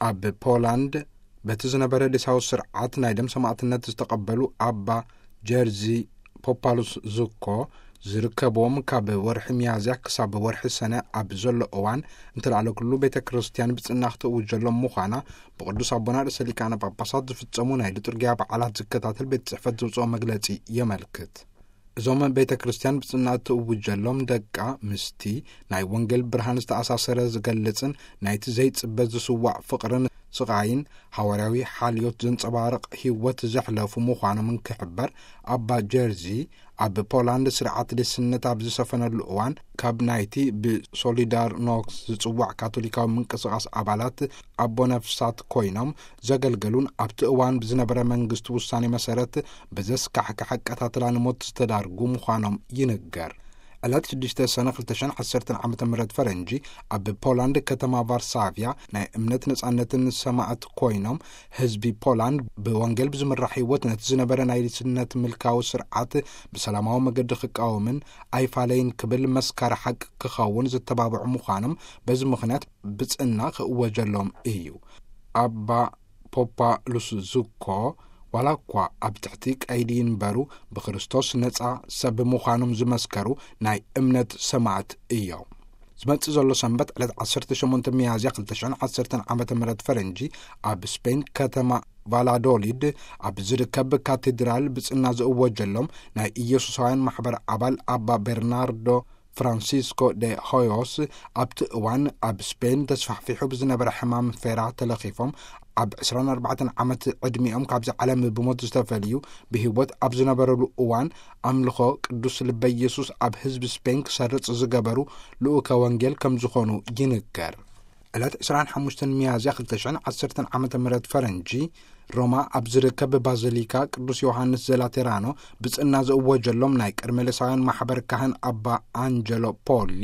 ኣብ ፖላንድ በቲ ዝነበረ ዴሳዊ ስርዓት ናይ ደም ሰማዕትነት ዝተቐበሉ ኣባ ጀርዚ ፖፓሉስ ዙኮ ዝርከብዎም፣ ካብ ወርሒ ሚያዝያ ክሳብ ወርሒ ሰነ ኣብ ዘሎ እዋን እንተለዓለ ኩሉ ቤተ ክርስቲያን ብጽና ክትእውጀሎም ምዃና ብቅዱስ ኣቦና ርእሰ ሊቃነ ጳጳሳት ዝፍጸሙ ናይ ሊጡርጊያ በዓላት ዝከታተል ቤት ጽሕፈት ዘውጽኦ መግለጺ የመልክት። እዞም ቤተ ክርስቲያን ብጽና እትእውጀሎም ደቃ ምስቲ ናይ ወንጌል ብርሃን ዝተኣሳሰረ ዝገልጽን ናይቲ ዘይጽበ ዝስዋዕ ፍቕርን ስቓይን ሃዋርያዊ ሓልዮት ዘንጸባርቕ ህይወት ዘሕለፉ ምዃኖም እንክሕበር፣ ኣባ ጀርዚ ኣብ ፖላንድ ስርዓት ዴስነት ኣብ ዝሰፈነሉ እዋን ካብ ናይቲ ብሶሊዳር ኖክስ ዝጽዋዕ ካቶሊካዊ ምንቅስቓስ ኣባላት ኣቦ ነፍሳት ኮይኖም ዘገልገሉን ኣብቲ እዋን ብዝነበረ መንግስቲ ውሳኔ መሰረት ብዘስካሕክሕ ኣቀታትላ ንሞት ዝተዳርጉ ምዃኖም ይንገር። ዕለት ሽዱሽተ ሰነ ክልተ ሽሕን ዓሰርተን ዓመተ ምህረት ፈረንጂ ኣብ ፖላንድ ከተማ ቫርሳቪያ ናይ እምነት ነጻነትን ሰማዕት ኮይኖም ህዝቢ ፖላንድ ብወንጌል ብዝምራሕ ህይወት ነቲ ዝነበረ ናይ ዴስነት ምልካዊ ስርዓት ብሰላማዊ መገዲ ክቃወምን ኣይፋለይን ክብል መስካሪ ሓቂ ክኸውን ዝተባብዑ ምዃኖም በዚ ምኽንያት ብጽና ክእወጀሎም እዩ። ኣባ ፖፓ ሉስዙኮ ዋላ እኳ ኣብ ትሕቲ ቀይዲ ይንበሩ ብክርስቶስ ነጻ ሰብ ምዃኖም ዝመስከሩ ናይ እምነት ሰማዕት እዮም። ዝመጽእ ዘሎ ሰንበት ዕለት ዓሰርተ ሸሞንተ ሚያዝያ ክልተ ሽሕን ዓሰርተን ዓመተ ምህረት ፈረንጂ ኣብ ስፔን ከተማ ቫላዶሊድ ኣብ ዝርከብ ካቴድራል ብጽና ዝእወጀሎም ናይ ኢየሱሳውያን ማሕበር ኣባል ኣባ ቤርናርዶ ፍራንሲስኮ ደ ሆዮስ ኣብቲ እዋን ኣብ ስፔን ተስፋሕፊሑ ብዝነበረ ሕማም ፌራ ተለኺፎም ኣብ ዕስራን ኣርባዕተን ዓመት ዕድሚኦም ካብዚ ዓለም ብሞት ዝተፈልዩ፣ ብህይወት ኣብ ዝነበረሉ እዋን ኣምልኾ ቅዱስ ልበ ኢየሱስ ኣብ ህዝቢ ስፔን ክሰርጽ ዝገበሩ ልኡከ ወንጌል ከም ዝኾኑ ይንገር። ዕለት ዕስራን ሓሙሽተን ሚያዝያ ክልተ ሽሕን ዓሰርተን ዓመተ ምህረት ፈረንጂ ሮማ ኣብ ዝርከብ ባዚሊካ ቅዱስ ዮሃንስ ዘላቴራኖ ብጽና ዝእወጀሎም ናይ ቀርሜሎሳውያን ማሕበር ካህን ኣባ ኣንጀሎ ፖሊ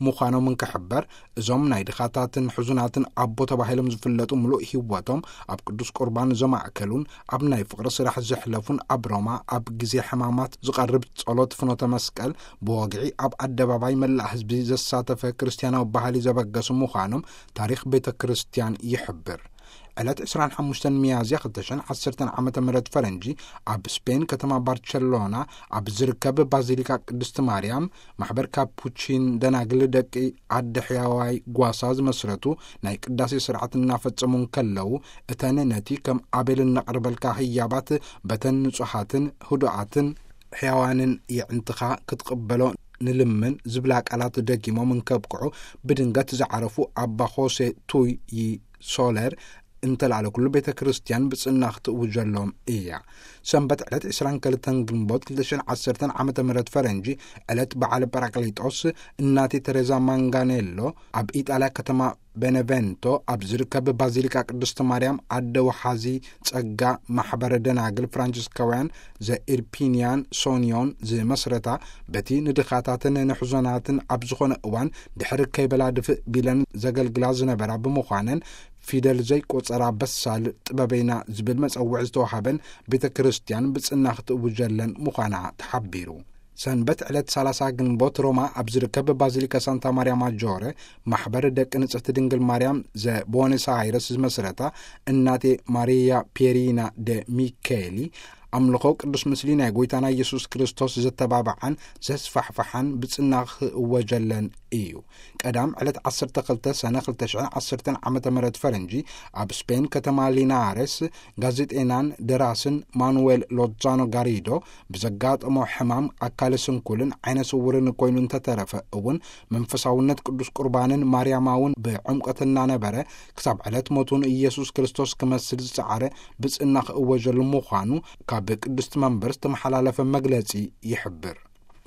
ምዃኖም እንክሕበር፣ እዞም ናይ ድኻታትን ሕዙናትን ኣቦ ተባሂሎም ዝፍለጡ ምሉእ ህይወቶም ኣብ ቅዱስ ቁርባን ዘማእከሉን ኣብ ናይ ፍቕሪ ስራሕ ዘሕለፉን ኣብ ሮማ ኣብ ግዜ ሕማማት ዝቐርብ ጸሎት ፍኖተ መስቀል ብወግዒ ኣብ ኣደባባይ መላእ ህዝቢ ዘሳተፈ ክርስትያናዊ ባህሊ ዘበገሱ ምዃኖም ታሪኽ ቤተ ክርስቲያን ይሕብር። ዕለት ዕስራን ሓሙሽተን ሚያዝያ ክልተ ሽሕን ዓሰርተን ዓመተ ምህረት ፈረንጂ ኣብ ስፔን ከተማ ባርቸሎና ኣብ ዝርከብ ባዚሊካ ቅድስቲ ማርያም ማሕበር ካፑቺን ደናግል ደቂ ኣደ ሕያዋይ ጓሳ ዝመስረቱ ናይ ቅዳሴ ስርዓት እናፈጸሙ እንከለዉ፣ እተን ነቲ ከም ኣቤል እነቕርበልካ ህያባት በተን ንጹሃትን ህዱኣትን ሕያዋንን የዕንትኻ ክትቕበሎ ንልምን ዝብላ ቃላት ደጊሞም እንከብቅዑ፣ ብድንገት ዝዓረፉ ኣባ ሆሴ ቱይ ሶለር እንተላዕለ ኩሉ ቤተ ክርስቲያን ብጽና ክትእውጀሎም እያ። ሰንበት ዕለት ዕስራን ክልተን ግንቦት ክልተ ሽሕን ዓሰርተን ዓመተ ምህረት ፈረንጂ ዕለት በዓል ጳራቅሊጦስ እናቴ ተሬዛ ማንጋኔሎ ኣብ ኢጣልያ ከተማ ቤነቨንቶ ኣብ ዝርከብ ባዚሊካ ቅድስቲ ማርያም ኣደ ወሓዚ ጸጋ ማሕበረ ደናግል ፍራንሲስካውያን ዘኢርፒንያን ሶንዮን ዝመስረታ፣ በቲ ንድኻታትን ንሕዞናትን ኣብ ዝኾነ እዋን ድሕሪ ከይበላ ድፍእ ቢለን ዘገልግላ ዝነበራ ብምዃነን፣ ፊደል ዘይቆጸራ በሳል ጥበበይና ዝብል መጸውዒ ዝተዋሃበን ቤተ ክርስቲያን ብጽና ክትእውጀለን ምዃና ተሓቢሩ። ሰንበት ዕለት ሰላሳ ግንቦት ሮማ ኣብ ዝርከብ ባዚሊካ ሳንታ ማርያ ማጆረ ማሕበር ደቂ ንጽሕቲ ድንግል ማርያም ዘቦነስ ኣይረስ ዝመስረታ እናቴ ማሪያ ፒየሪና ደ ሚኬሊ ኣምልኾ ቅዱስ ምስሊ ናይ ጎይታና ኢየሱስ ክርስቶስ ዘተባብዓን ዘስፋሕፍሓን ብጽና ክእወጀለን እዩ። ቀዳም ዕለት ዓሰርተ ክልተ ሰነ ክልተ ሽሕን ዓሰርተን ዓመተ ምህረት ፈረንጂ ኣብ ስፔን ከተማ ሊናሬስ ጋዜጤናን ደራስን ማኑዌል ሎዛኖ ጋሪዶ ብዘጋጠሞ ሕማም ኣካለ ስንኩልን ዓይነ ስውርን ኮይኑ እንተተረፈ እውን መንፈሳውነት ቅዱስ ቁርባንን ማርያማውን ብዕምቀት እናነበረ ክሳብ ዕለት ሞቱን ኢየሱስ ክርስቶስ ክመስል ዝጸዓረ ብጽና ክእወጀሉ ምዃኑ ካብ ቅድስቲ መንበር ዝተመሓላለፈ መግለጺ ይሕብር።